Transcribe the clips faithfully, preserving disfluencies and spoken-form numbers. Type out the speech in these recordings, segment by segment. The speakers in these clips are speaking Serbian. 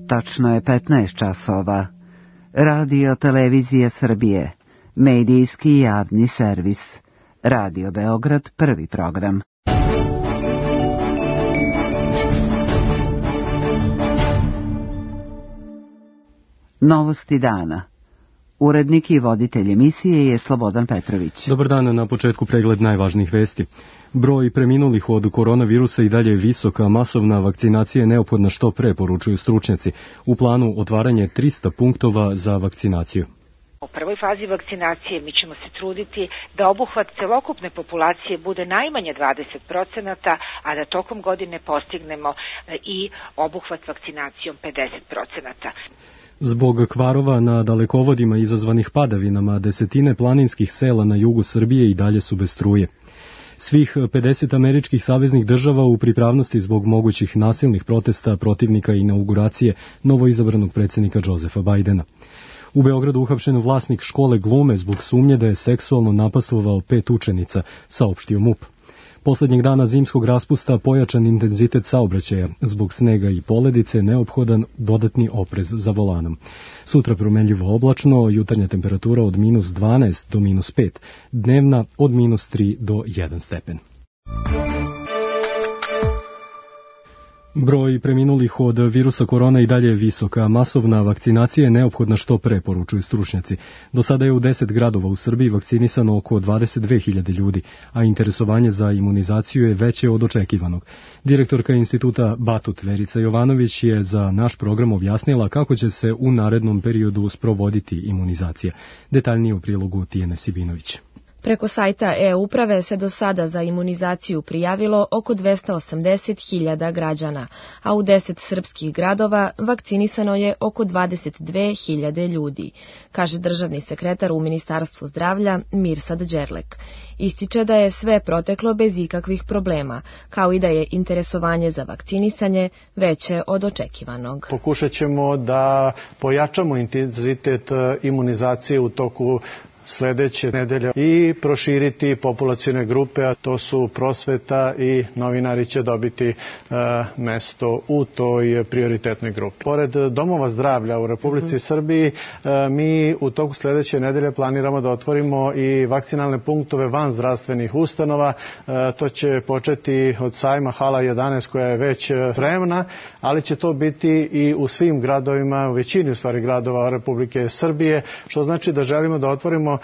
Tačno je petnaest časova. Radio Televizija Srbije, medijski javni servis. Radio Beograd, prvi program. Novosti dana. Urednik i voditelj emisije je Slobodan Petrović. Dobar dan, na početku pregled najvažnijih vesti. Broj preminulih od koronavirusa i dalje je visok, a masovna vakcinacija je neophodna što pre, poručuju stručnjaci. U planu otvaranje trista punktova za vakcinaciju. U prvoj fazi vakcinacije mi ćemo se truditi da obuhvat celokupne populacije bude najmanje dvadeset procenata, a da tokom godine postignemo i obuhvat vakcinacijom pedeset procenata. Zbog kvarova na dalekovodima izazvanih padavinama, desetine planinskih sela na jugu Srbije i dalje su bez struje. Svih pedeset američkih saveznih država u pripravnosti zbog mogućih nasilnih protesta protivnika inauguracije novoizabranog predsjednika Josefa Bajdena. U Beogradu uhapšen vlasnik škole glume zbog sumnje da je seksualno napastvovao pet učenica, saopštio MUP. Poslednjeg dana zimskog raspusta pojačan intenzitet saobraćaja, zbog snega i poledice neophodan dodatni oprez za volanom. Sutra promenljivo oblačno, jutarnja temperatura od minus dvanaest do minus pet, dnevna od minus tri do jedan stepen. Broj preminulih od virusa korona i dalje je visok, a masovna vakcinacija je neophodna što pre, poručuju stručnjaci. Do sada je u deset gradova u Srbiji vakcinisano oko dvadeset dve hiljade ljudi, a interesovanje za imunizaciju je veće od očekivanog. Direktorka instituta Batut Verica Jovanović je za naš program objasnila kako će se u narednom periodu sprovoditi imunizacija. Detaljnije u prilogu Tijene Sibinović. Preko sajta e-uprave se do sada za imunizaciju prijavilo oko dvesta osamdeset hiljada građana, a u deset srpskih gradova vakcinisano je oko dvadeset dve hiljade ljudi, kaže državni sekretar u Ministarstvu zdravlja Mirsad Đerlek. Ističe da je sve proteklo bez ikakvih problema, kao i da je interesovanje za vakcinisanje veće od očekivanog. Pokušat ćemo da pojačamo intenzitet imunizacije u toku sledeće nedelje i proširiti populacione grupe, a to su prosveta i novinari će dobiti e, mesto u toj prioritetnoj grupi. Pored domova zdravlja u Republici mm-hmm. Srbiji, e, mi u toku sledeće nedelje planiramo da otvorimo i vakcinalne punktove van zdravstvenih ustanova. E, to će početi od sajma Hala jedanaest koja je već spremna, ali će to biti i u svim gradovima, u većini u stvari gradova Republike Srbije, što znači da želimo da otvorimo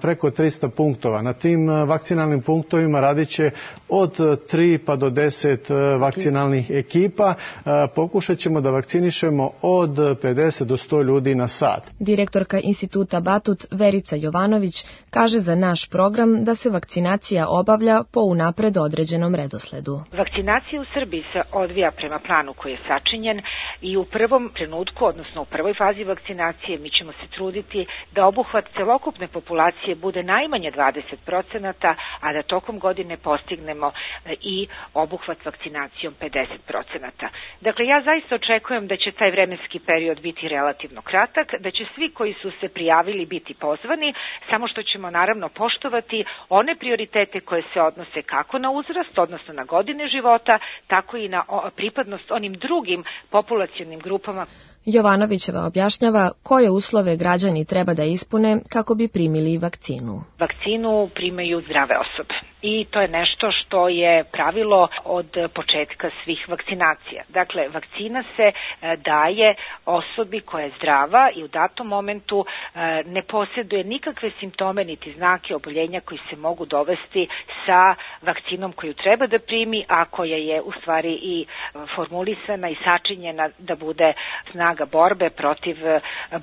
preko trista punktova. Na tim vakcinalnim punktovima radit će od tri pa do deset vakcinalnih ekipa. Pokušat ćemo da vakcinišemo od pedeset do sto ljudi na sat. Direktorka instituta Batut Verica Jovanović kaže za naš program da se vakcinacija obavlja po unapred određenom redosledu. Vakcinacija u Srbiji se odvija prema planu koji je sačinjen i u prvom trenutku, odnosno u prvoj fazi vakcinacije, mi ćemo se truditi da obuhvat celokupne populacije bude najmanje dvadeset procenata, a da tokom godine postignemo i obuhvat vakcinacijom pedeset procenata. Dakle, ja zaista očekujem da će taj vremenski period biti relativno kratak, da će svi koji su se prijavili biti pozvani, samo što ćemo naravno poštovati one prioritete koje se odnose kako na uzrast, odnosno na godine života, tako i na pripadnost onim drugim populacionim grupama. Jovanovićeva objašnjava koje uslove građani treba da ispune kako bi primili vakcinu. Vakcinu primaju zdrave osobe. I to je nešto što je pravilo od početka svih vakcinacija. Dakle, vakcina se daje osobi koja je zdrava i u datom momentu ne posjeduje nikakve simptome niti znake oboljenja koji se mogu dovesti sa vakcinom koju treba da primi, a koja je u stvari i formulisana i sačinjena da bude snaga borbe protiv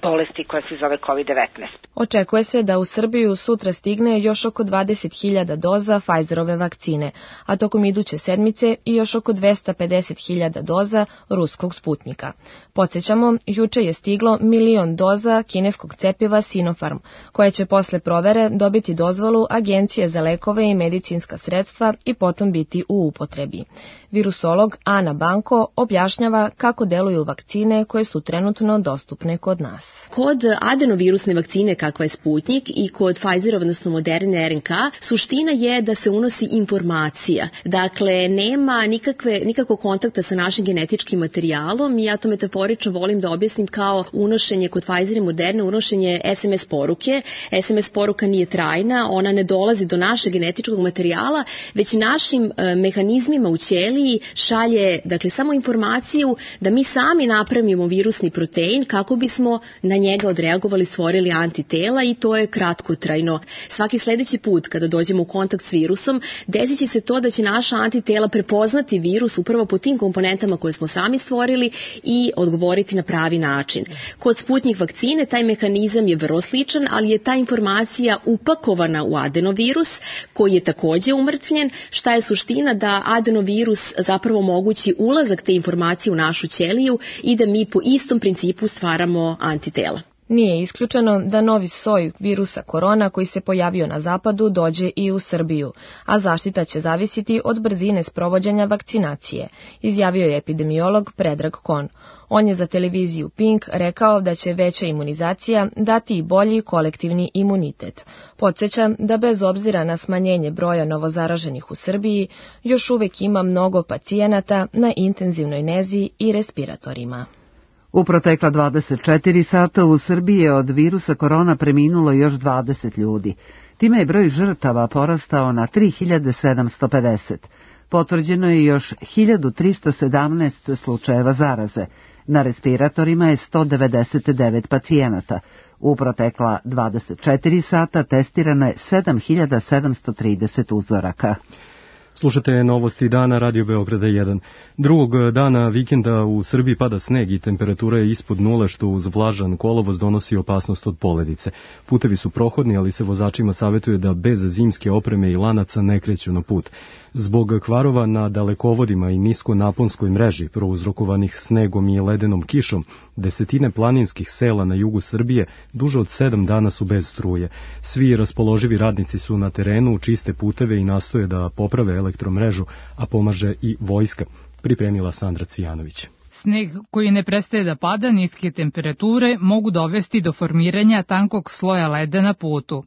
bolesti koja se zove kovid devetnaest. Očekuje se da u Srbiju sutra stigne još oko dvadeset hiljada doza Pfizerove vakcine, a tokom iduće sedmice i još oko dvesta pedeset hiljada doza ruskog Sputnika. Podsjećamo, juče je stiglo milion doza kineskog cepiva Sinopharm, koje će posle provere dobiti dozvolu Agencije za lekove i medicinska sredstva i potom biti u upotrebi. Virusolog Ana Banko objašnjava kako deluju vakcine koje su trenutno dostupne kod nas. Kod adenovirusne vakcine kakva je Sputnik i kod Pfizerove, odnosno Moderne R N K, suština je da kojima se unosi informacija. Dakle, nema nikakve, nikakvog kontakta sa našim genetičkim materijalom i ja to metaforično volim da objasnim kao unošenje kod Pfizer i Moderna, unošenje es em es poruke. es em es poruka nije trajna, ona ne dolazi do našeg genetičkog materijala, već našim e, mehanizmima u ćeliji šalje, dakle, samo informaciju da mi sami napravimo virusni protein kako bismo na njega odreagovali, stvorili antitela i to je kratkotrajno. Svaki sledeći put kada dođemo u kontakt s virusom, desit će se to da će naša antitela prepoznati virus upravo po tim komponentama koje smo sami stvorili i odgovoriti na pravi način. Kod Sputnjik vakcine taj mehanizam je vrlo sličan, ali je ta informacija upakovana u adenovirus koji je takođe umrtvljen. Šta je suština? Da adenovirus zapravo omogući ulazak te informacije u našu ćeliju i da mi po istom principu stvaramo antitela. Nije isključeno da novi soj virusa korona koji se pojavio na zapadu dođe i u Srbiju, a zaštita će zavisiti od brzine sprovođenja vakcinacije, izjavio je epidemiolog Predrag Kon. On je za televiziju Pink rekao da će veća imunizacija dati i bolji kolektivni imunitet. Podsjeća da bez obzira na smanjenje broja novozaraženih u Srbiji, još uvek ima mnogo pacijenata na intenzivnoj nezi i respiratorima. U protekla dvadeset četiri sata u Srbiji je od virusa korona preminulo još dvadeset ljudi. Time je broj žrtava porastao na tri hiljade sedamsto pedeset. Potvrđeno je još hiljadu trista sedamnaest slučajeva zaraze. Na respiratorima je sto devedeset devet pacijenata. U protekla dvadeset četiri sata testirano je sedam hiljada sedamsto trideset uzoraka. Slušate novosti dana Radio Beograda jedan. Drugog dana vikenda u Srbiji pada sneg i temperatura je ispod nule, što uz vlažan kolovoz donosi opasnost od poledice. Putevi su prohodni, ali se vozačima savjetuje da bez zimske opreme i lanaca ne kreću na put. Zbog kvarova na dalekovodima i niskonaponskoj mreži prouzrokovanih snegom i ledenom kišom, desetine planinskih sela na jugu Srbije duže od sedam dana su bez struje. Svi raspoloživi radnici su na terenu, čiste puteve i nastoje da poprave elektromrežu, a pomaže i vojska, pripremila Sandra Cvijanović. Sneg koji ne prestaje da pada, niske temperature mogu dovesti do formiranja tankog sloja leda na putu.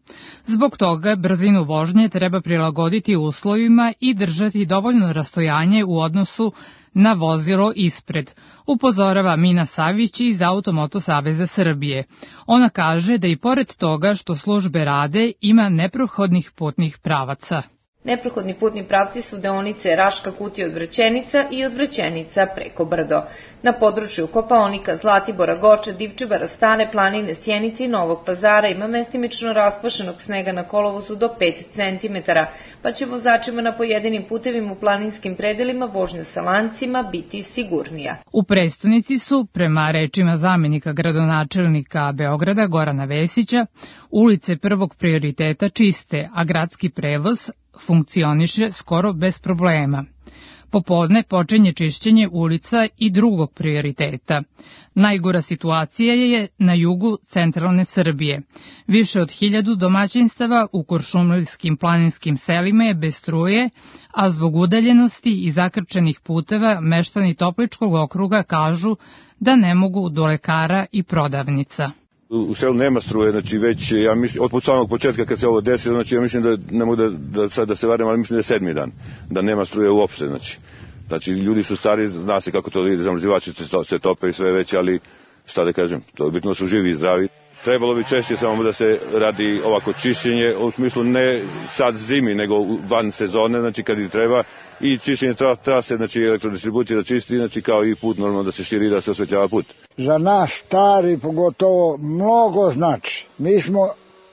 Zbog toga brzinu vožnje treba prilagoditi uslovima i držati dovoljno rastojanje u odnosu na vozilo ispred, upozorava Mina Savić iz Automoto Saveza Srbije. Ona kaže da i pored toga što službe rade, ima neprohodnih putnih pravaca. Neprohodni putni pravci su deonice Raška Kutija od Vrćenica i od Vrćenica preko Brdo. Na području Kopaonika, Zlatibora, Goča, Divčibara, Stare planine, Sjenice i Novog Pazara ima mestimično raspašenog snega na kolovozu do pet centimetara, pa će vozačima na pojedinim putevima u planinskim predelima vožnja sa lancima biti sigurnija. U prestonici su, prema rečima zamenika gradonačelnika Beograda Gorana Vesića, ulice prvog prioriteta čiste, a gradski prevoz funkcioniše skoro bez problema. Popodne počinje čišćenje ulica i drugog prioriteta. Najgora situacija je na jugu centralne Srbije. Više od hiljadu domaćinstava u kuršumlijskim planinskim selima je bez struje, a zbog udaljenosti i zakrčenih puteva meštani Topličkog okruga kažu da ne mogu do lekara i prodavnica. U selu nema struje, znači već, ja mislim, od samog početka kad se ovo desilo, znači ja mislim da ne mogu da, da sad da se varim, ali mislim da je sedmi dan, da nema struje uopšte, znači. Znači, ljudi su stari, zna se kako to ide, zamrzivači se tope i sve već, ali šta da kažem, to je bitno su živi i zdravi. Trebalo bi češće samo da se radi ovako čišćenje, u smislu ne sad zimi, nego van sezone, znači kad i treba, i čišćenje trase, znači elektrodistribucije da čisti, znači kao i put normalno da se širi, da se osvetljava put. Za naš stari pogotovo mnogo znači. Mi smo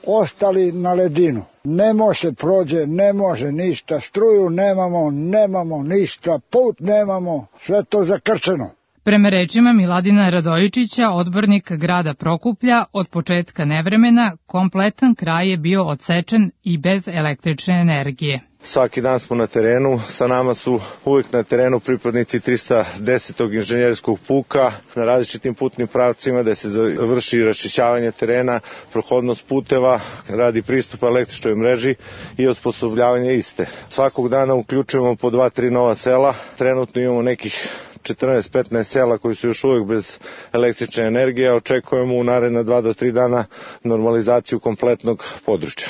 ostali na ledinu. Ne može prođe, ne može ništa, struju nemamo, nemamo ništa, put nemamo, sve to zakrčeno. Prema rečima Miladina Radojičića, odbornika grada Prokuplja, od početka nevremena kompletan kraj je bio odsečen i bez električne energije. Svaki dan smo na terenu, sa nama su uvijek na terenu pripadnici trista desetog inženjerskog puka na različitim putnim pravcima da se vrši raščišćavanje terena, prohodnost puteva, radi pristupa električnoj mreži i osposobljavanje iste. Svakog dana uključujemo po dva, tri nova sela, trenutno imamo nekih četrnaest petnaest sela koji su još uvijek bez električne energije, očekujemo u naredna dva do tri dana normalizaciju kompletnog područja.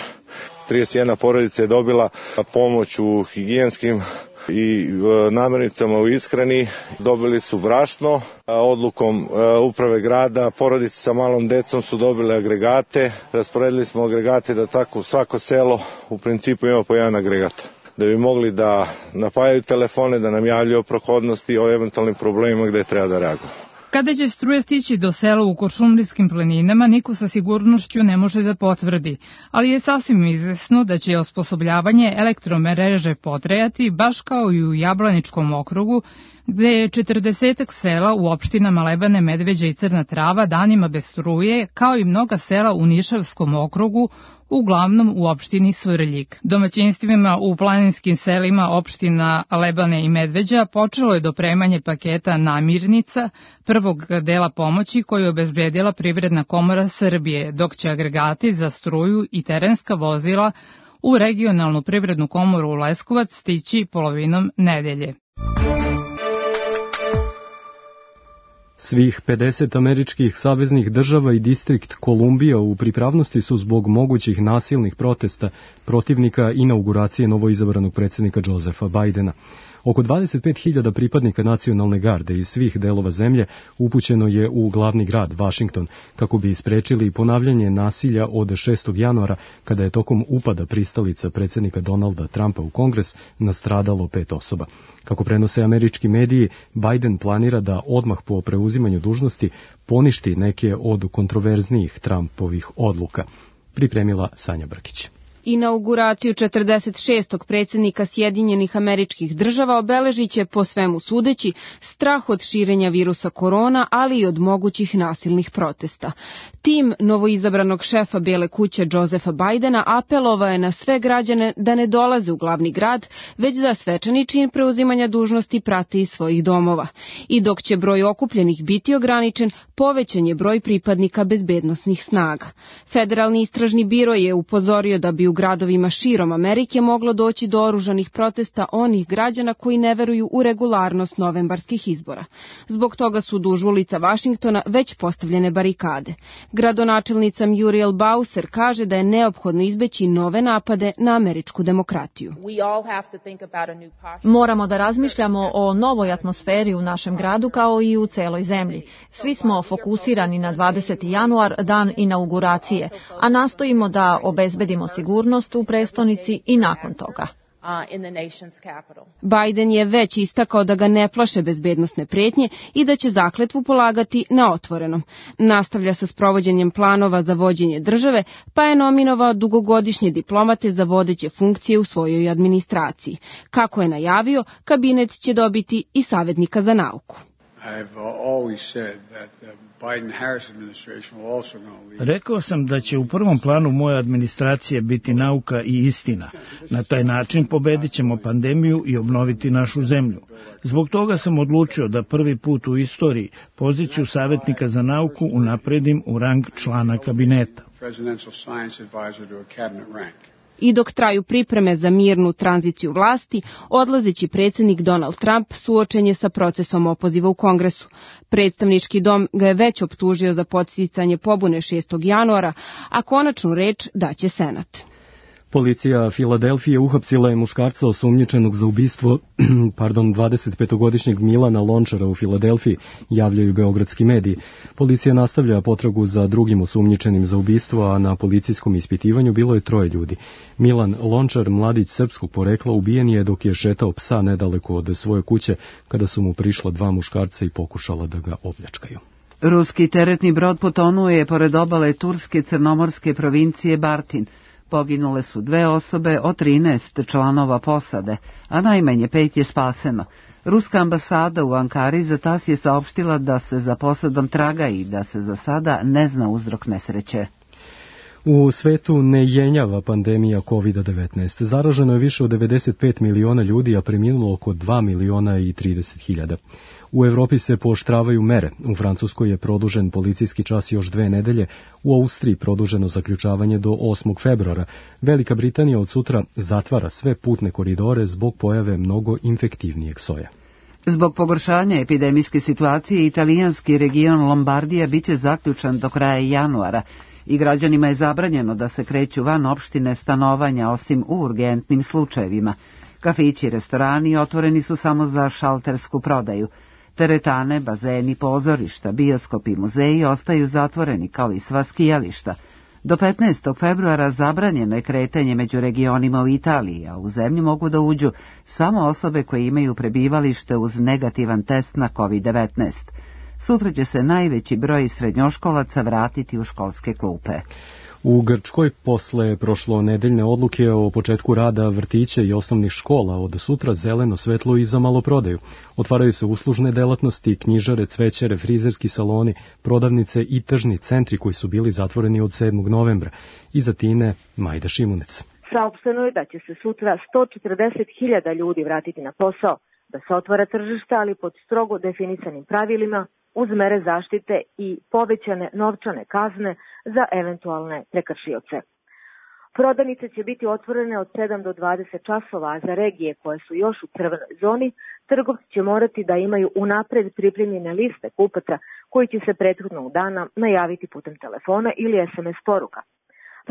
trideset jedna porodica je dobila pomoć u higijenskim i namirnicama u ishrani. Dobili su brašno, odlukom uprave grada porodice sa malom decom su dobile agregate. Rasporedili smo agregate da tako svako selo u principu ima po jedan agregat, da bi mogli da napajaju telefone, da nam javljaju o prohodnosti, o eventualnim problemima gde treba da reaguju. Kada će struja stići do sela u Kuršumlijskim planinama, niko sa sigurnošću ne može da potvrdi, ali je sasvim izvesno da će osposobljavanje elektromreže potrajati baš kao i u Jablaničkom okrugu, gde je četrdesetak sela u opštinama Lebane, Medveđa i Crna Trava danima bez struje, kao i mnoga sela u Nišavskom okrugu, uglavnom u opštini Svrljig. Domaćinstvima u planinskim selima opština Lebane i Medveđa počelo je dopremanje paketa namirnica, prvog dela pomoći koju je obezbedila Privredna komora Srbije, dok će agregati za struju i terenska vozila u regionalnu Privrednu komoru u Leskovac stići polovinom nedelje. Svih pedeset američkih saveznih država i distrikt Kolumbija u pripravnosti su zbog mogućih nasilnih protesta protivnika inauguracije novoizabranog predsjednika Josefa Bajdena. Oko dvadeset pet hiljada pripadnika nacionalne garde iz svih delova zemlje upućeno je u glavni grad, Vašington, kako bi isprečili ponavljanje nasilja od šestog januara, kada je tokom upada pristalica predsjednika Donalda Trumpa u Kongres nastradalo pet osoba. Kako prenose američki mediji, Biden planira da odmah po preuzimanju dužnosti poništi neke od kontroverznijih Trumpovih odluka. Pripremila Sanja Brkić. Inauguraciju četrdeset šestog predsjednika Sjedinjenih Američkih Država obeležit će, po svemu sudeći, strah od širenja virusa korona, ali i od mogućih nasilnih protesta. Tim novoizabranog šefa Bele kuće Josefa Bajdena apelovao je na sve građane da ne dolaze u glavni grad, već da svečani čin preuzimanja dužnosti prate iz svojih domova. I dok će broj okupljenih biti ograničen, povećan je broj pripadnika bezbednosnih snaga. Federalni istražni biro je upozorio da bi u gradovima širom Amerike moglo doći do oružanih protesta onih građana koji ne veruju u regularnost novembarskih izbora. Zbog toga su duž ulica Vašingtona već postavljene barikade. Gradonačelnica Muriel Bowser kaže da je neophodno izbeći nove napade na američku demokratiju. Moramo da razmišljamo o novoj atmosferi u našem gradu kao i u celoj zemlji. Svi smo fokusirani na dvadeseti januar, dan inauguracije, a nastojimo da obezbedimo sigurnost u prestonici i nakon toga. Biden je već istakao da ga ne plaše bezbednosne pretnje i da će zakletvu polagati na otvorenom. Nastavlja sa sprovođenjem planova za vođenje države, pa je nominovao dugogodišnje diplomate za vodeće funkcije u svojoj administraciji. Kako je najavio, kabinet će dobiti i savjetnika za nauku. Rekao sam da će u prvom planu moje administracije biti nauka i istina. Na taj način pobedit ćemo pandemiju i obnoviti našu zemlju. Zbog toga sam odlučio da prvi put u istoriji poziciju savjetnika za nauku unapredim u rang člana kabineta. I dok traju pripreme za mirnu tranziciju vlasti, odlazeći predsjednik Donald Trump suočen je sa procesom opoziva u Kongresu. Predstavnički dom ga je već optužio za podsticanje pobune šestog januara, a konačnu reč daće Senat. Policija Filadelfije uhapsila je muškarca osumnjičenog za ubistvo pardon, dvadesetpetogodišnjeg Milana Lončara u Filadelfiji, javljaju beogradski mediji. Policija nastavlja potragu za drugim osumnjičenim za ubistvo, a na policijskom ispitivanju bilo je troje ljudi. Milan Lončar, mladić srpskog porekla, ubijen je dok je šetao psa nedaleko od svoje kuće, kada su mu prišla dva muškarca i pokušala da ga opljačkaju. Ruski teretni brod potonuo je pored obale turske crnomorske provincije Bartin. Poginule su dve osobe od trinaest članova posade, a najmanje pet je spaseno. Ruska ambasada u Ankari za tas je saopštila da se za posadom traga i da se za sada ne zna uzrok nesreće. U svetu ne jenjava pandemija kovid devetnaest. Zaraženo je više od devedeset pet miliona ljudi, a preminulo oko dva miliona i trideset hiljada. U Evropi se pooštravaju mere. U Francuskoj je produžen policijski čas još dve nedelje, u Austriji produženo zaključavanje do osmog februara. Velika Britanija od sutra zatvara sve putne koridore zbog pojave mnogo infektivnijeg soja. Zbog pogoršanja epidemijske situacije, italijanski region Lombardija biće zaključan do kraja januara. I građanima je zabranjeno da se kreću van opštine stanovanja osim u urgentnim slučajevima. Kafići i restorani otvoreni su samo za šaltersku prodaju. Teretane, bazeni, pozorišta, bioskopi i muzeji ostaju zatvoreni kao i sva skijališta. Do petnaestog februara zabranjeno je kretanje među regionima u Italiji, a u zemlju mogu da uđu samo osobe koje imaju prebivalište uz negativan test na kovid devetnaest. Sutra će se najveći broj srednjoškolaca vratiti u školske klupe. U Grčkoj posle prošlonedeljne odluke o početku rada vrtića i osnovnih škola od sutra zeleno svetlo i za maloprodaju. Otvaraju se uslužne delatnosti, knjižare, cvećare, frizerski saloni, prodavnice i tržni centri koji su bili zatvoreni od sedmog novembra. Iza Tine Majda Šimunec. Saopšteno je da će se sutra sto četrdeset hiljada ljudi vratiti na posao, da se otvara tržište, ali pod strogo definisanim pravilima, uz mere zaštite i povećane novčane kazne za eventualne prekršioce. Prodavnice će biti otvorene od sedam do dvadeset časova, a za regije koje su još u crvenoj zoni, trgovci će morati da imaju unapred pripremljene liste kupaca koji će se prethodnog dana najaviti putem telefona ili es em es poruka.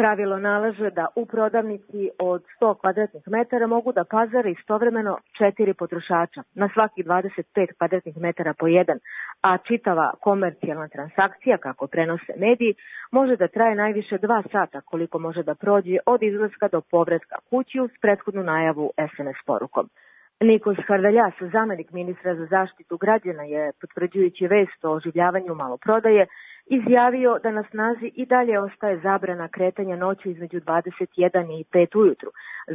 Pravilo nalaže da u prodavnici od sto kvadratnih metara mogu da pazare istovremeno četiri potrošača, na svaki dvadeset pet kvadratnih metara po jedan, a čitava komercijalna transakcija, kako prenose mediji, može da traje najviše dva sata, koliko može da prođe od izlaska do povratka kući uz prethodnu najavu es em es porukom. Nikos Hardaljas, zamenik ministra za zaštitu građana, je, potvrđujući vest o oživljavanju maloprodaje, izjavio da na snazi i dalje ostaje zabrana kretanja noću između dvadeset jedan i pet ujutru,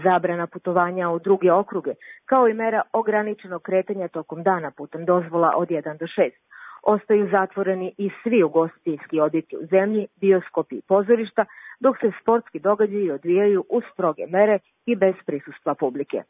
zabrana putovanja u druge okruge, kao i mera ograničenog kretanja tokom dana putem dozvola od jedan do šest. Ostaju zatvoreni i svi ugostiteljski objekti u zemlji, bioskopi i pozorišta, dok se sportski događaji odvijaju uz stroge mere i bez prisustva publike.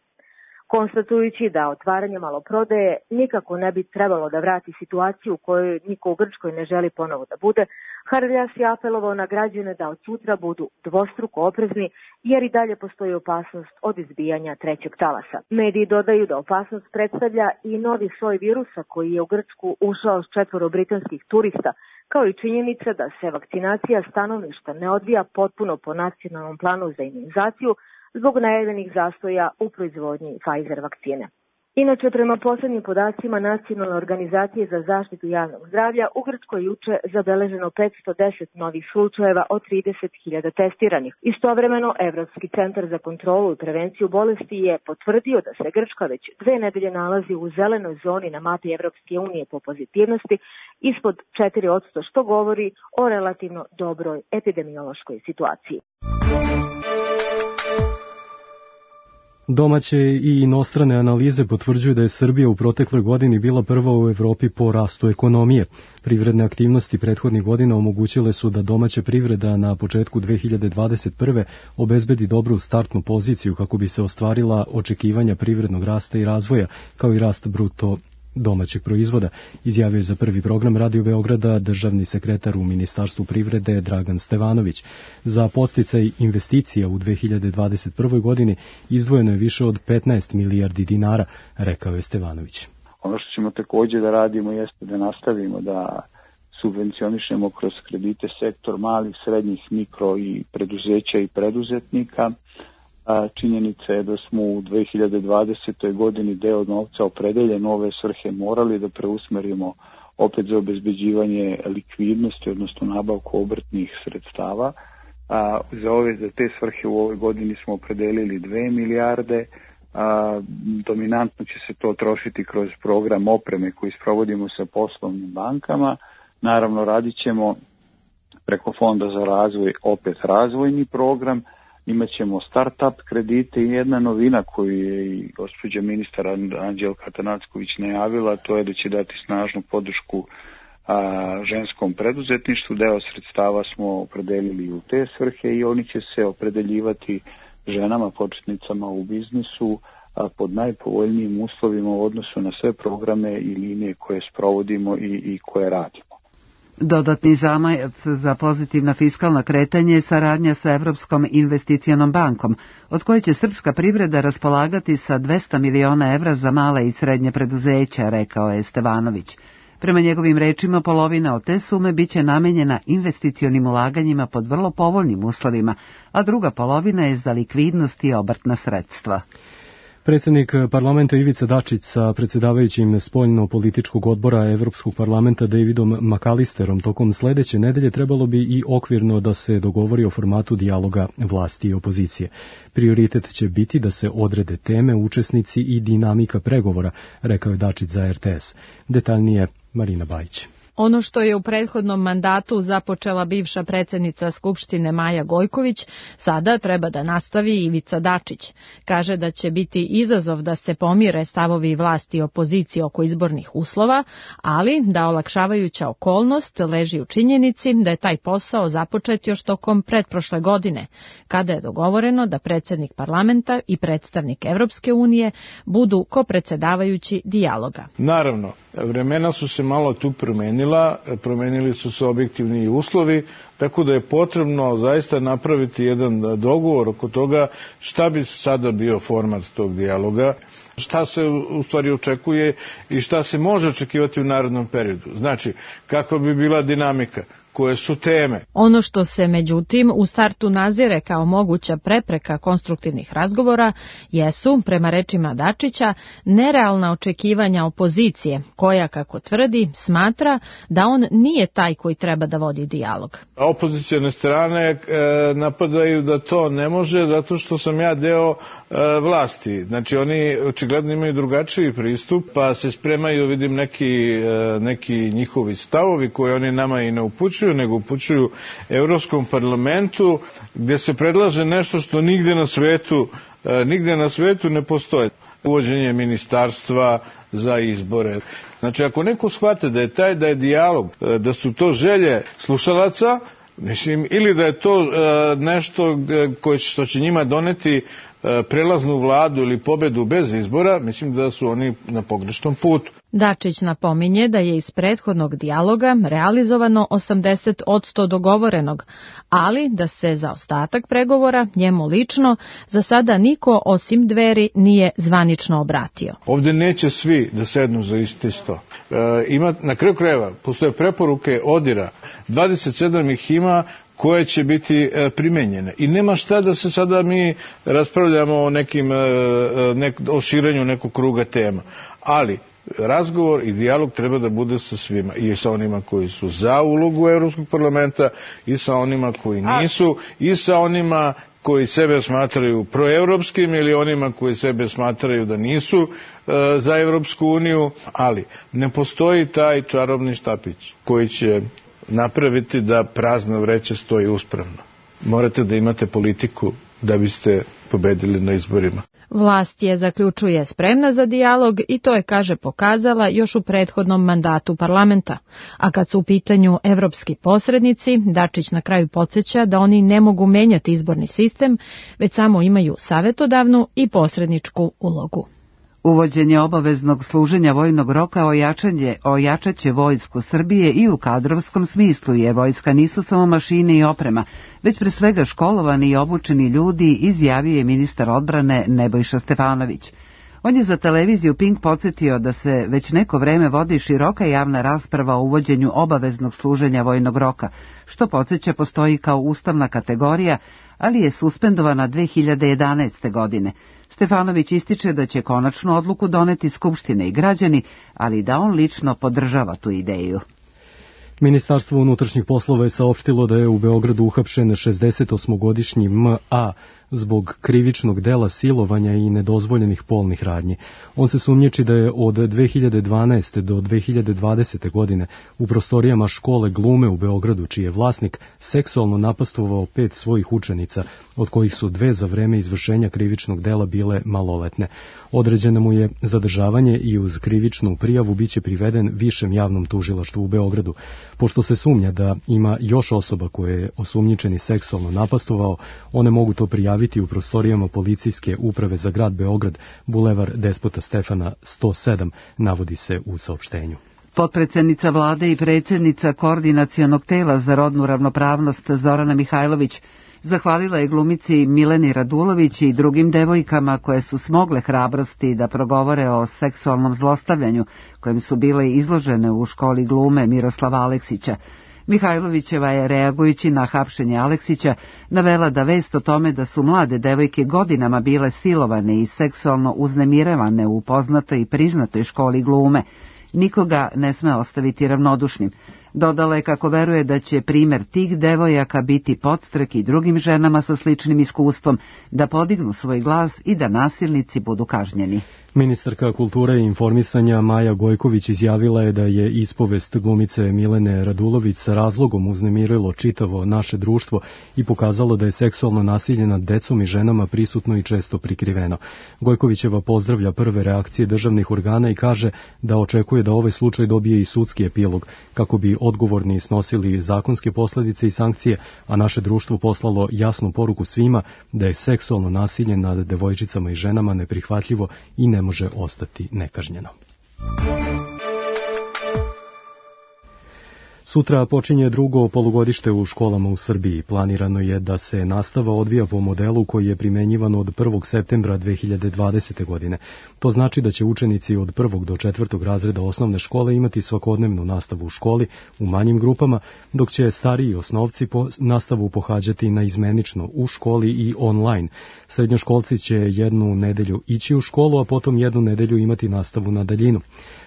Konstatujući da otvaranje maloprodaje nikako ne bi trebalo da vrati situaciju u kojoj niko u Grčkoj ne želi ponovo da bude, Hardaljas je apelovao na građane da od sutra budu dvostruko oprezni, jer i dalje postoji opasnost od izbijanja trećeg talasa. Mediji dodaju da opasnost predstavlja i novi soj virusa koji je u Grčku ušao s četvoro britanskih turista, kao i činjenica da se vakcinacija stanovništva ne odvija potpuno po nacionalnom planu za imunizaciju, zbog najavljenih zastoja u proizvodnji Pfizer vakcine. Inače, prema poslednjim podacima Nacionalne organizacije za zaštitu javnog zdravlja, u Grčkoj juče zabeleženo petsto deset novih slučajeva od trideset hiljada testiranih. Istovremeno, Evropski centar za kontrolu i prevenciju bolesti je potvrdio da se Grčka već dve nedelje nalazi u zelenoj zoni na mapi Evropske unije po pozitivnosti, ispod četiri posto, što govori o relativno dobroj epidemiološkoj situaciji. Domaće i inostrane analize potvrđuju da je Srbija u protekloj godini bila prva u Evropi po rastu ekonomije. Privredne aktivnosti prethodnih godina omogućile su da domaća privreda na početku dve hiljade dvadeset prve. obezbedi dobru startnu poziciju kako bi se ostvarila očekivanja privrednog rasta i razvoja, kao i rast bruto domaćeg proizvoda, izjavio je za Prvi program Radio Beograda državni sekretar u Ministarstvu privrede Dragan Stevanović. Za podsticaj investicija u dve hiljade dvadeset prvoj. godini izdvojeno je više od petnaest milijardi dinara, rekao je Stevanović. Ono što ćemo takođe da radimo jeste da nastavimo da subvencionišemo kroz kredite sektor malih, srednjih, mikro i preduzeća i preduzetnika. Činjenica je da smo u dve hiljade dvadesetoj. godini deo novca opredeljen ove svrhe morali da preusmerimo opet za obezbeđivanje likvidnosti, odnosno nabavku obrtnih sredstava. A, za, ove, za te svrhe u ovoj godini smo opredelili dve milijarde. A, dominantno će se to trošiti kroz program opreme koji sprovodimo sa poslovnim bankama. Naravno, radit ćemo preko Fonda za razvoj opet razvojni program. Imaćemo start-up kredite i jedna novina koju je i gospođa ministar Anđelka Atanacković najavila, to je da će dati snažnu podršku a, ženskom preduzetništvu. Deo sredstava smo opredelili u te svrhe i oni će se opredeljivati ženama početnicama u biznisu a, pod najpovoljnijim uslovima u odnosu na sve programe i linije koje sprovodimo i, i koje radimo. Dodatni zamajac za pozitivna fiskalna kretanja je saradnja sa Evropskom investicionom bankom, od koje će srpska privreda raspolagati sa dvesta miliona evra za male i srednje preduzeća, rekao je Stevanović. Prema njegovim rečima, polovina od te sume biće namenjena investicionim ulaganjima pod vrlo povoljnim uslovima, a druga polovina je za likvidnost i obrtna sredstva. Predsjednik parlamenta Ivica Dačić sa predsjedavajućim spoljno-političkog odbora Evropskog parlamenta Davidom McAllisterom tokom sledeće nedelje trebalo bi i okvirno da se dogovori o formatu dijaloga vlasti i opozicije. Prioritet će biti da se odrede teme, učesnici i dinamika pregovora, rekao je Dačić za R T S. Detaljnije Marina Bajić. Ono što je u prethodnom mandatu započela bivša predsjednica Skupštine Maja Gojković, sada treba da nastavi Ivica Dačić. Kaže da će biti izazov da se pomire stavovi vlasti i opozicije oko izbornih uslova, ali da olakšavajuća okolnost leži u činjenici da je taj posao započet još tokom pretprošle godine, kada je dogovoreno da predsjednik parlamenta i predstavnik Evropske unije budu kopredsedavajući dijaloga. Naravno, vremena su se malo tu promenila. Promenili su se objektivni uslovi, tako da je potrebno zaista napraviti jedan dogovor oko toga šta bi sada bio format tog dijaloga, šta se u stvari očekuje i šta se može očekivati u narednom periodu. Znači, kakva bi bila dinamika, koje su teme. Ono što se međutim u startu nazire kao moguća prepreka konstruktivnih razgovora jesu, prema rečima Dačića, nerealna očekivanja opozicije, koja, kako tvrdi, smatra da on nije taj koji treba da vodi dijalog. Opozicijone strane e, napadaju da to ne može zato što sam ja deo e, vlasti. Znači oni očigledno imaju drugačiji pristup, pa se spremaju, vidim, neki, e, neki njihovi stavovi koje oni nama i ne upućuju, nego upućuju Evropskom parlamentu, gdje se predlaže nešto što nigde na svetu, e, nigde na svetu ne postoje. Uvođenje ministarstva za izbore. Znači, ako neko shvate da je taj, da je dijalog, e, da su to želje slušalaca, mislim, ili da je to e, nešto koje, što će njima doneti e, prelaznu vladu ili pobedu bez izbora, mislim da su oni na pogrešnom putu. Dačić napominje da je iz prethodnog dijaloga realizovano osamdeset posto dogovorenog, ali da se za ostatak pregovora njemu lično za sada niko osim Dveri nije zvanično obratio. Ovdje neće svi da sednu za isti sto. E, ima, na kraju krajeva postoje preporuke ODIR-a, dvadeset sedam ih ima koje će biti e, primenjene. I nema šta da se sada mi raspravljamo o nekim, e, nek, o širenju nekog kruga tema. Ali razgovor i dijalog treba da bude sa svima, i sa onima koji su za ulogu Evropskog parlamenta, i sa onima koji nisu, i sa onima koji sebe smatraju proevropskim ili onima koji sebe smatraju da nisu e, za Evropsku uniju, ali ne postoji taj čarobni štapić koji će napraviti da prazna vreća stoji uspravno. Morate da imate politiku da biste pobedili na izborima. Vlast je, zaključuje, spremna za dijalog i to je, kaže, pokazala još u prethodnom mandatu parlamenta. A kad su u pitanju evropski posrednici, Dačić na kraju podsjeća da oni ne mogu menjati izborni sistem, već samo imaju savetodavnu i posredničku ulogu. Uvođenje obaveznog služenja vojnog roka ojačanje, ojačaće vojsku Srbije i u kadrovskom smislu, jer vojska nisu samo mašine i oprema, već pre svega školovani i obučeni ljudi, izjavio je ministar odbrane Nebojša Stefanović. On je za televiziju Pink podsjetio da se već neko vreme vodi široka javna rasprava o uvođenju obaveznog služenja vojnog roka, što podsjeća postoji kao ustavna kategorija, ali je suspendovana dve hiljade jedanaeste. godine. Stefanović ističe da će konačnu odluku doneti Skupština i građani, ali da on lično podržava tu ideju. Ministarstvo unutrašnjih poslova je saopštilo da je u Beogradu uhapšen šezdesetosmogodišnji M A zbog krivičnog dela silovanja i nedozvoljenih polnih radnji. On se sumnjiči da je od dve hiljade dvanaeste. do dve hiljade dvadesete. godine u prostorijama škole glume u Beogradu, čiji je vlasnik, seksualno napastovao pet svojih učenica, od kojih su dve za vreme izvršenja krivičnog dela bile maloletne. Određeno mu je zadržavanje i uz krivičnu prijavu biće priveden Višem javnom tužilaštvu u Beogradu. Pošto se sumnja da ima još osoba koje je osumnjičeni seksualno napastovao, one mogu to prijaviti u prostorijama policijske uprave za grad Beograd, bulevar Despota Stefana sto sedam, navodi se u saopštenju. Potpredsednica vlade i predsjednica Koordinacionog tela za rodnu ravnopravnost Zorana Mihajlović Zahvalila je glumici Mileni Radulović i drugim devojkama koje su smogle hrabrosti da progovore o seksualnom zlostavljanju kojem su bile izložene u školi glume Miroslava Aleksića. Mihajlovićeva je, reagujući na hapšenje Aleksića, navela da vest o tome da su mlade devojke godinama bile silovane i seksualno uznemiravane u poznatoj i priznatoj školi glume nikoga ne sme ostaviti ravnodušnim. Dodala je kako veruje da će primer tih devojaka biti podstrek i drugim ženama sa sličnim iskustvom da podignu svoj glas i da nasilnici budu kažnjeni. Ministarka kulture i informisanja Maja Gojković izjavila je da je ispovest glumice Milene Radulović sa razlogom uznemirilo čitavo naše društvo i pokazalo da je seksualno nasilje nad decom i ženama prisutno i često prikriveno. Gojkovićeva pozdravlja prve reakcije državnih organa i kaže da očekuje da ovaj slučaj dobije i sudski epilog, kako bi odgovorni snosili zakonske posljedice i sankcije, a naše društvo poslalo jasnu poruku svima da je seksualno nasilje nad devojčicama i ženama neprihvatljivo i ne može ostati nekažnjeno. Sutra počinje drugo polugodište u školama u Srbiji. Planirano je da se nastava odvija po modelu koji je primenjivan od prvog septembra dve hiljade dvadesete. godine. To znači da će učenici od prvog do četvrtog razreda osnovne škole imati svakodnevnu nastavu u školi u manjim grupama, dok će stariji osnovci po nastavu pohađati naizmenično u školi i online. Srednjoškolci će jednu nedelju ići u školu, a potom jednu nedelju imati nastavu na daljinu.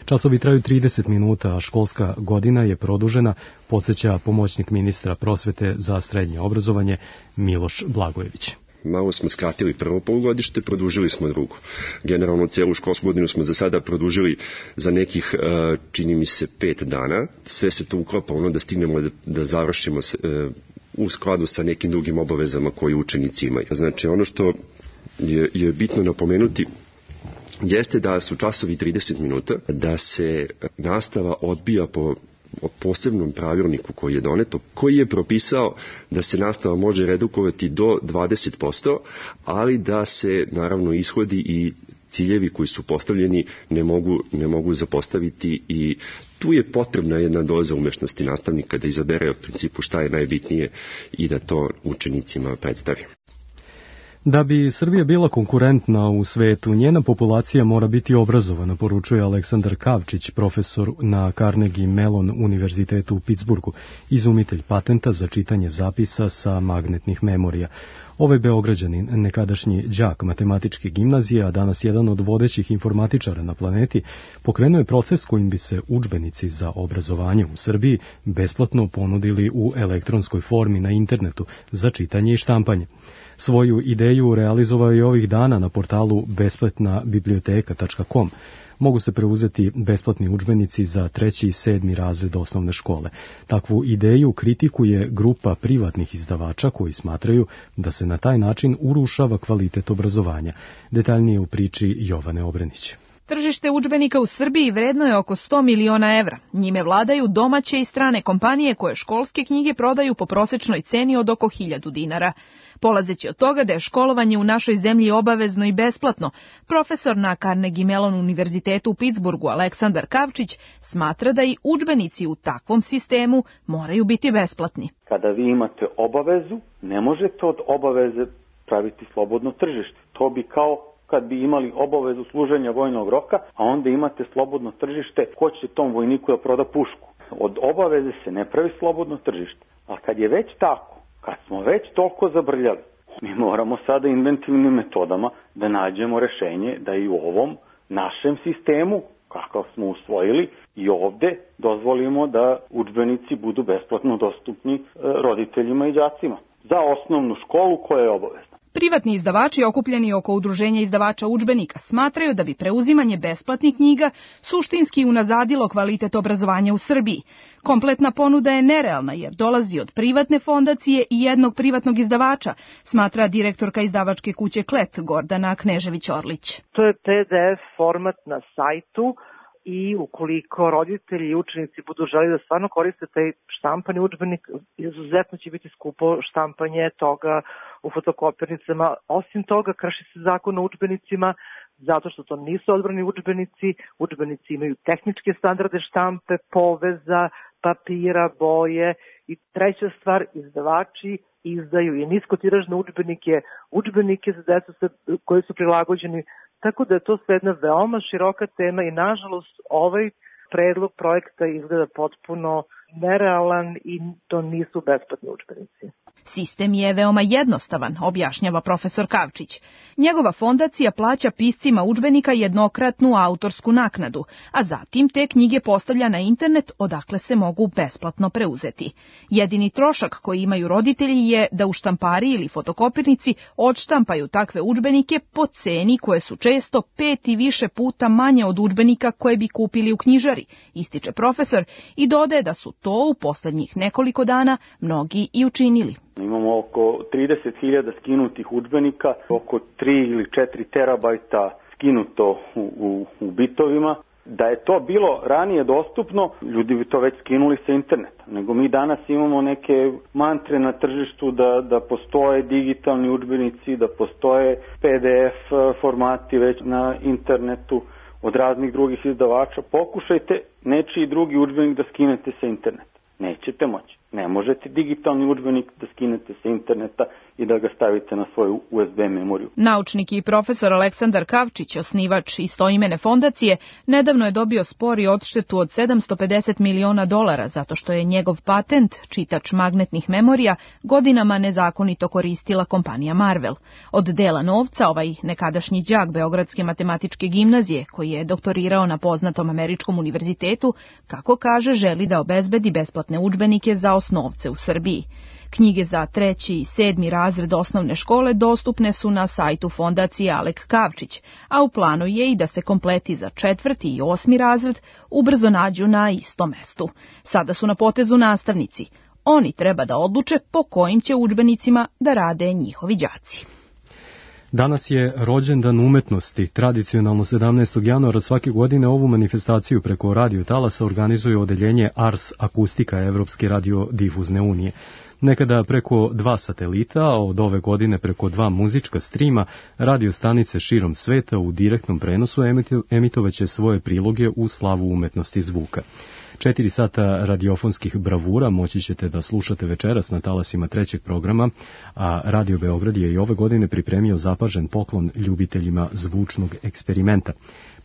Časovi traju trideset minuta, a školska godina je produžena, podsjeća pomoćnik ministra prosvete za srednje obrazovanje Miloš Blagojević. Malo smo skratili prvo polugodište, produžili smo drugo. Generalno celu školsku godinu smo za sada produžili za nekih, čini mi se, pet dana. Sve se to uklopa ono da stignemo da, da završimo u skladu sa nekim drugim obavezama koje učenici imaju. Znači ono što je, je bitno napomenuti jeste da su časovi trideset minuta, da se nastava odbija po posebnom pravilniku koji je doneto, koji je propisao da se nastava može redukovati do dvadeset posto, ali da se naravno ishodi i ciljevi koji su postavljeni ne mogu, ne mogu zapostaviti i tu je potrebna jedna doza umešnosti nastavnika da izabere u principu šta je najbitnije i da to učenicima predstavi. Da bi Srbija bila konkurentna u svetu, njena populacija mora biti obrazovana, poručuje Aleksandar Kavčić, profesor na Carnegie Mellon univerzitetu u Pittsburghu, izumitelj patenta za čitanje zapisa sa magnetnih memorija. Ovaj Beograđanin, nekadašnji đak matematičke gimnazije, a danas jedan od vodećih informatičara na planeti, pokrenuo je proces kojim bi se udžbenici za obrazovanje u Srbiji besplatno ponudili u elektronskoj formi na internetu za čitanje i štampanje. Svoju ideju realizovao je ovih dana na portalu besplatna biblioteka tačka com. Mogu se preuzeti besplatni udžbenici za treći i sedmi razred osnovne škole. Takvu ideju kritikuje grupa privatnih izdavača koji smatraju da se na taj način urušava kvalitet obrazovanja. Detaljnije u priči Jovane Obrenić. Tržište udžbenika u Srbiji vredno je oko sto miliona evra. Njime vladaju domaće i strane kompanije koje školske knjige prodaju po prosečnoj ceni od oko hiljadu dinara. Polazeći od toga da je školovanje u našoj zemlji obavezno i besplatno, profesor na Carnegie Mellon univerzitetu u Pittsburghu Aleksandar Kavčić smatra da i udžbenici u takvom sistemu moraju biti besplatni. Kada vi imate obavezu, ne možete od obaveze praviti slobodno tržište. To bi kao kad bi imali obavezu služenja vojnog roka, a onda imate slobodno tržište, ko će tom vojniku da proda pušku. Od obaveze se ne pravi slobodno tržište. A kad je već tako, kad smo već toliko zabrljali, mi moramo sada inventivnim metodama da nađemo rešenje da i u ovom našem sistemu, kakav smo usvojili, i ovde dozvolimo da udžbenici budu besplatno dostupni roditeljima i đacima za osnovnu školu koja je obavezna. Privatni izdavači okupljeni oko udruženja izdavača udžbenika smatraju da bi preuzimanje besplatnih knjiga suštinski unazadilo kvalitet obrazovanja u Srbiji. Kompletna ponuda je nerealna jer dolazi od privatne fondacije i jednog privatnog izdavača, smatra direktorka izdavačke kuće Klet Gordana Knežević-Orlić. To je P D F format na sajtu i ukoliko roditelji i učenici budu želi da stvarno koriste taj štampani udžbenik, izuzetno će biti skupo štampanje toga u fotokopirnicama. Osim toga, krši se zakon o udžbenicima zato što to nisu odbrani udžbenici. Udžbenici imaju tehničke standarde štampe, poveza, papira, boje i treća stvar, izdavači izdaju i niskotiražne udžbenike, udžbenike za decu koji su prilagođeni, tako da je to sve jedna veoma široka tema i nažalost ovaj predlog projekta izgleda potpuno nerealan i to nisu besplatni udžbenici. Sistem je veoma jednostavan, objašnjava profesor Kavčić. Njegova fondacija plaća piscima udžbenika jednokratnu autorsku naknadu, a zatim te knjige postavlja na internet odakle se mogu besplatno preuzeti. Jedini trošak koji imaju roditelji je da u štampari ili fotokopirnici odštampaju takve udžbenike po ceni koje su često pet i više puta manje od udžbenika koje bi kupili u knjižari, ističe profesor i dodaje da su to u poslednjih nekoliko dana mnogi i učinili. Imamo oko trideset hiljada skinutih udžbenika, oko tri ili četiri terabajta skinuto u, u, u bitovima. Da je to bilo ranije dostupno, ljudi bi to već skinuli sa interneta. Nego mi danas imamo neke mantre na tržištu da, da postoje digitalni udžbenici, da postoje P D F formati već na internetu od raznih drugih izdavača. Pokušajte nečiji drugi udžbenik da skinete sa interneta. Nećete moći. Ne možete digitalni udžbenik da skinete sa interneta i da ga stavite na svoju U S B memoriju. Naučnik i profesor Aleksandar Kavčić, osnivač istoimene fondacije, nedavno je dobio spor i odštetu od sedamsto pedeset miliona dolara zato što je njegov patent, čitač magnetnih memorija, godinama nezakonito koristila kompanija Marvel. Od dela novca ovaj nekadašnji đak Beogradske matematičke gimnazije, koji je doktorirao na poznatom američkom univerzitetu, kako kaže, želi da obezbedi besplatne udžbenike za osnovce u Srbiji. Knjige za treći i sedmi razred osnovne škole dostupne su na sajtu fondacije Alek Kavčić, a u planu je i da se kompleti za četvrti i osmi razred ubrzo nađu na istom mestu. Sada su na potezu nastavnici. Oni treba da odluče po kojim će udžbenicima da rade njihovi đaci. Danas je rođendan umetnosti. Tradicionalno sedamnaestog januara svake godine ovu manifestaciju preko radio talasa organizuje odeljenje Ars Akustika Evropske radiodifuzne unije. Nekada preko dva satelita, a od ove godine preko dva muzička strima, radio stanice širom sveta u direktnom prenosu emitovaće svoje priloge u slavu umetnosti zvuka. Četiri sata radiofonskih bravura moći ćete da slušate večeras na talasima trećeg programa, a Radio Beograd je i ove godine pripremio zapažen poklon ljubiteljima zvučnog eksperimenta.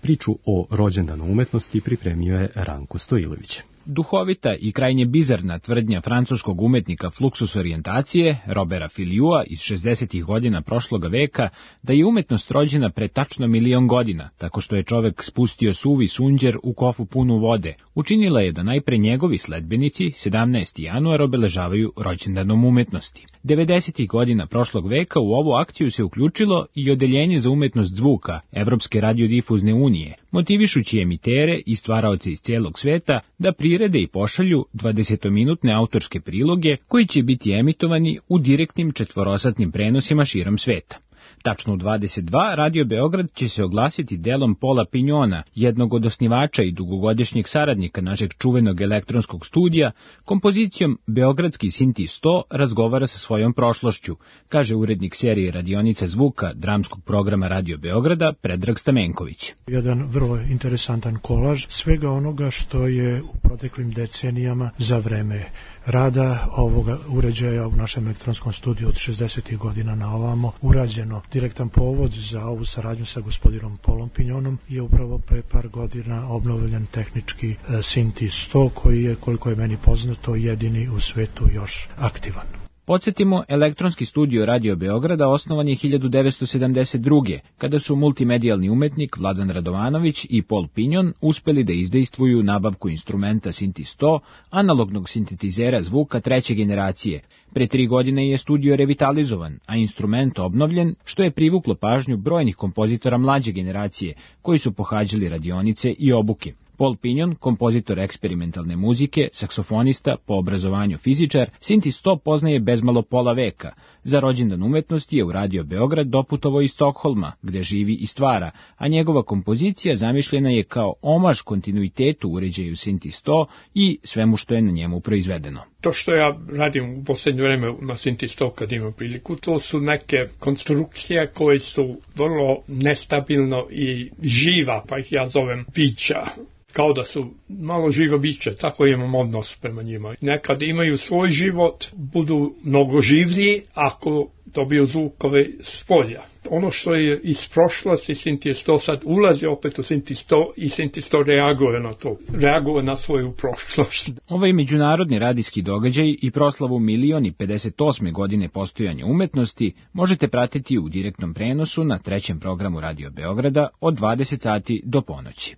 Priču o rođendanu umetnosti pripremio je Ranko Stojilović. Duhovita i krajnje bizarna tvrdnja francuskog umetnika Fluxus orijentacije, Robera Filiua iz šezdesetih godina prošloga veka, da je umetnost rođena pre tačno milion godina, tako što je čovek spustio suvi sunđer u kofu punu vode, učinila je da najpre njegovi sledbenici sedamnaesti januar obeležavaju rođendanom umetnosti. devedesetih godina prošlog veka u ovu akciju se uključilo i odeljenje za umetnost zvuka Evropske radiodifuzne unije, motivišući emitere i stvaraoce iz cijelog sveta da prirede i pošalju dvadesetominutne autorske priloge koji će biti emitovani u direktnim četvorosatnim prenosima širom sveta. Tačno u dvadeset dva Radio Beograd će se oglasiti delom Paula Pignona, jednog od osnivača i dugogodišnjeg saradnika našeg čuvenog elektronskog studija, kompozicijom Beogradski Sinti sto razgovara sa svojom prošlošću, kaže urednik serije radionica zvuka dramskog programa Radio Beograda Predrag Stamenković. Jedan vrlo interesantan kolaž svega onoga što je u proteklim decenijama za vreme rada ovoga uređaja u našem elektronskom studiju od šezdesetih godina na ovamo urađeno. Direktan povod za ovu saradnju sa gospodinom Paulom Pignonom je upravo pre par godina obnovljen tehnički Sinti sto koji je, koliko je meni poznato, jedini u svetu još aktivan. Podsjetimo, elektronski studio Radio Beograda osnovan je hiljadu devetsto sedamdeset druge. kada su multimedijalni umetnik Vladan Radovanović i Paul Pignon uspeli da izdejstvuju nabavku instrumenta Sinti sto, analognog sintetizera zvuka treće generacije. Pre tri godine je studio revitalizovan, a instrument obnovljen, što je privuklo pažnju brojnih kompozitora mlađe generacije, koji su pohađali radionice i obuke. Paul Pignon, kompozitor eksperimentalne muzike, saksofonista, po obrazovanju fizičar, Sinti sto poznaje bezmalo pola veka. Za rođendan umetnosti je u Radio Beograd doputovao iz Stokholma, gde živi i stvara, a njegova kompozicija zamišljena je kao omaž kontinuitetu uređaju Sinti sto i svemu što je na njemu proizvedeno. To što ja radim u posljednje vreme na Sinti sto kad imam priliku, to su neke konstrukcije koje su vrlo nestabilno i živa, pa ih ja zovem bića. Kao da su malo živa bića, tako imam odnos prema njima. Nekad imaju svoj život, budu mnogo življi ako dobiju zvukove s polja. Ono što je iz prošlosti Sinti sto sad ulazi opet u Sinti sto i Sinti sto reaguje na to, reaguje na svoju prošlost. Ovaj međunarodni radijski događaj i proslavu milion i pedeset osme godine postojanja umetnosti možete pratiti u direktnom prenosu na trećem programu Radio Beograda od dvadeset sati do ponoći.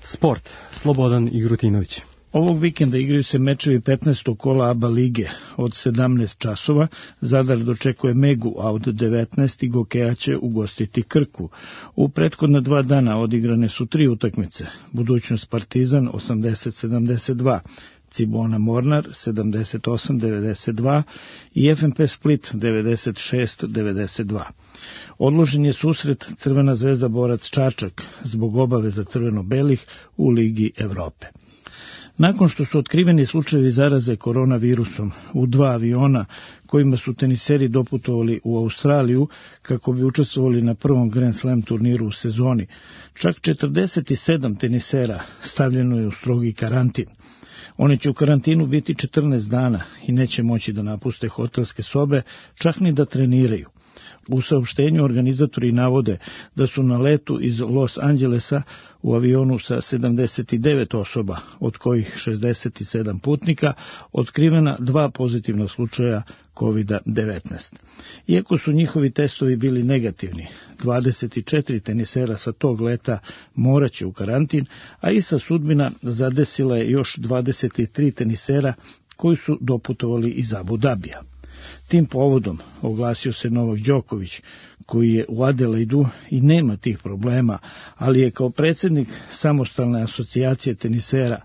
Sport, Slobodan Igrutinović. Ovog vikenda igraju se mečevi petnaestog kola A B A lige od sedamnaest časova. Zadar dočekuje Megu, a od devetnaest i Gokeja će ugostiti Krku. U prethodna dva dana odigrane su tri utakmice. Budućnost Partizan osamdeset sedamdeset dva, Cibona Mornar sedamdeset osam devedeset dva i F M P Split devedeset šest devedeset dva. Odložen je susret Crvena zvezda Borac Čačak zbog obaveza crveno-belih u Ligi Evrope. Nakon što su otkriveni slučajevi zaraze koronavirusom u dva aviona kojima su teniseri doputovali u Australiju kako bi učestvovali na prvom Grand Slam turniru u sezoni, čak četrdeset sedam tenisera stavljeno je u strogi karantin. Oni će u karantinu biti četrnaest dana i neće moći da napuste hotelske sobe, čak ni da treniraju. U saopštenju organizatori navode da su na letu iz Los Angelesa u avionu sa sedamdeset devet osoba, od kojih šezdeset sedam putnika, otkrivena dva pozitivna slučaja kovid devetnaest. Iako su njihovi testovi bili negativni, dvadeset četiri tenisera sa tog leta moraće u karantin, a Isa sudbina zadesila je još dvadeset tri tenisera koji su doputovali iz Abu Dabija. Tim povodom oglasio se Novak Đoković, koji je u Adelaidu i nema tih problema, ali je kao predsjednik samostalne asocijacije tenisera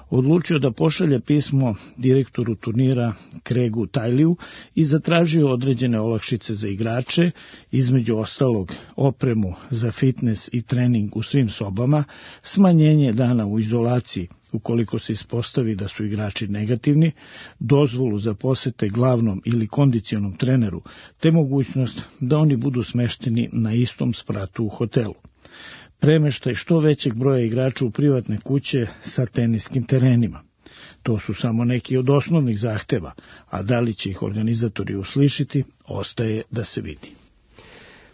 odlučio da pošalje pismo direktoru turnira Craigu Tileyju i zatražio određene olakšice za igrače, između ostalog opremu za fitness i trening u svim sobama, smanjenje dana u izolaciji ukoliko se ispostavi da su igrači negativni, dozvolu za posete glavnom ili kondicionom treneru, te mogućnost da oni budu smešteni na istom spratu u hotelu. Premeštaj što većeg broja igrača u privatne kuće sa teniskim terenima. To su samo neki od osnovnih zahteva, a da li će ih organizatori uslišiti, ostaje da se vidi.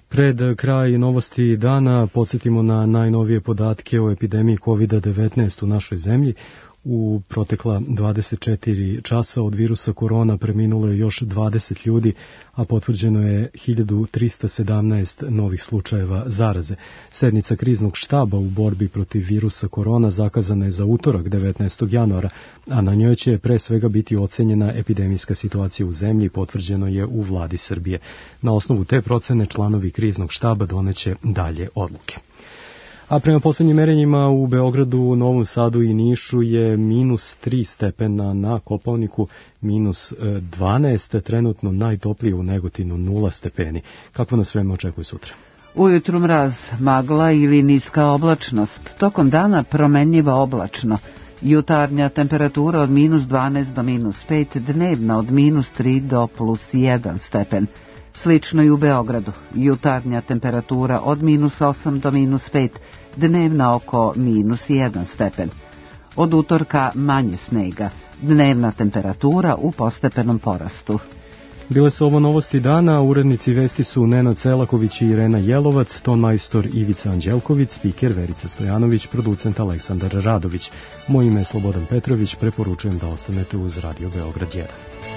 Pred kraj novosti dana podsjetimo na najnovije podatke o epidemiji kovid devetnaest u našoj zemlji. U protekla dvadeset četiri časa od virusa korona preminulo je još dvadeset ljudi, a potvrđeno je hiljadu trista sedamnaest novih slučajeva zaraze. Sednica kriznog štaba u borbi protiv virusa korona zakazana je za utorak devetnaestog januara, a na njoj će pre svega biti ocenjena epidemijska situacija u zemlji, potvrđeno je u vladi Srbije. Na osnovu te procene članovi kriznog štaba doneće dalje odluke. A prema posljednjim merenjima u Beogradu, Novom Sadu i Nišu je minus tri stepena, na Kopaoniku minus dvanaest, trenutno najtoplije u Negotinu nula stepeni. Kako nas vreme očekuje sutra? Ujutru mraz, magla ili niska oblačnost, tokom dana promenljiva oblačno. Jutarnja temperatura od minus dvanaest do minus pet, dnevna od minus tri do plus jedan stepen. Slično i u Beogradu, jutarnja temperatura od minus osam do minus pet, dnevna oko minus jedan stepen. Od utorka manje snega, dnevna temperatura u postepenom porastu. Bile su ovo novosti dana, urednici vesti su Nenad Selaković i Irena Jelovac, ton majstor Ivica Anđelković, spiker Verica Stojanović, producent Aleksandar Radović. Moje ime je Slobodan Petrović, preporučujem da ostanete uz Radio Beograd jedan.